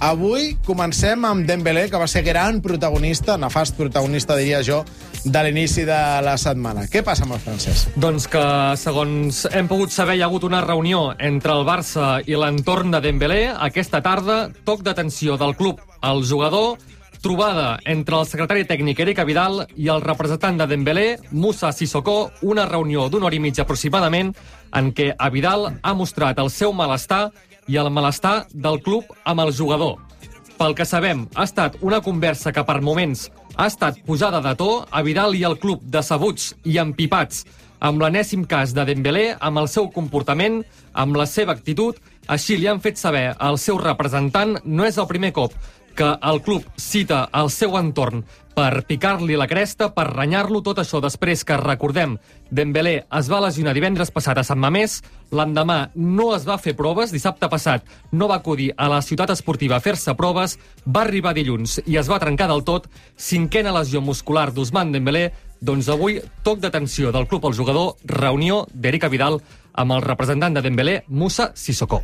Avui comencem amb Dembélé, que va ser gran protagonista, nefast protagonista, diria jo, de l'inici de la setmana. Què passa amb el francès? Doncs que, segons hem pogut saber, hi ha hagut una reunió entre el Barça i l'entorn de Dembélé. Aquesta tarda, toc d'atenció del club al jugador, trobada entre el secretari tècnic Eric Abidal i el representant de Dembélé, Moussa Sissoko, una reunió d'una hora i mitja aproximadament, en què Abidal ha mostrat el seu malestar i el malestar del club amb el jugador. Pel que sabem, ha estat una conversa que per moments ha estat posada de to, Abidal i el club decebuts i empipats amb l'enèsim cas de Dembélé, amb el seu comportament, amb la seva actitud. Així li han fet saber al seu representant. No és el primer cop que el club cita el seu entorn per picar-li la cresta, per renyar-lo, tot això després que, recordem, Dembélé es va lesionar divendres passat a Sant Mamés, l'endemà no es va fer proves, dissabte passat no va acudir a la ciutat esportiva a fer-se proves, va arribar dilluns i es va trencar del tot, 5a lesió muscular d'Ousmane Dembélé. Doncs avui, toc d'atenció del club al jugador, reunió d'Eric Abidal amb el representant de Dembélé, Moussa Sissoko.